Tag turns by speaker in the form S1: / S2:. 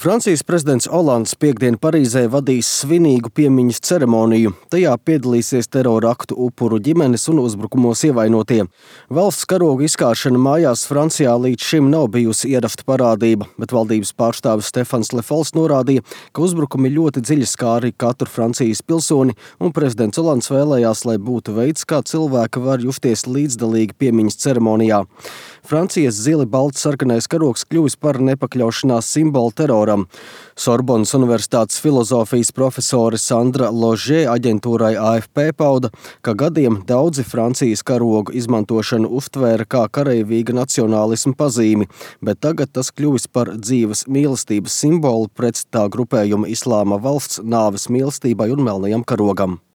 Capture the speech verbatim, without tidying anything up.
S1: Francijas prezidents Olands piekdien Parīzē vadīs svinīgu piemiņas ceremoniju. Tajā piedalīsies terora aktu upuru ģimenes un uzbrukumos ievainotie. Valsts karoga izkāršana mājās Francijā līdz šim nav bijusi ierasta parādība, bet valdības pārstāvis Stefans Le Fols norādīja, ka uzbrukumi ļoti dziļi skāri katru Francijas pilsoni, un prezidents Olands vēlējās, lai būtu veids, kā cilvēki var justies līdzdalīgi piemiņas ceremonijā. Francijas zili balts sarkanais karogs kļuvis par nepakļaušanās simbolu teroram. Sorbonas Universitātes filozofijas profesore Sandra Ložē aģentūrai A F P pauda, ka gadiem daudzi Francijas karogu izmantošanu uztvēra kā kareivīga nacionālisma pazīmi, bet tagad tas kļuvis par dzīves mīlestības simbolu pret tā grupējuma Islāma valsts nāves mīlestībai un melnajam karogam.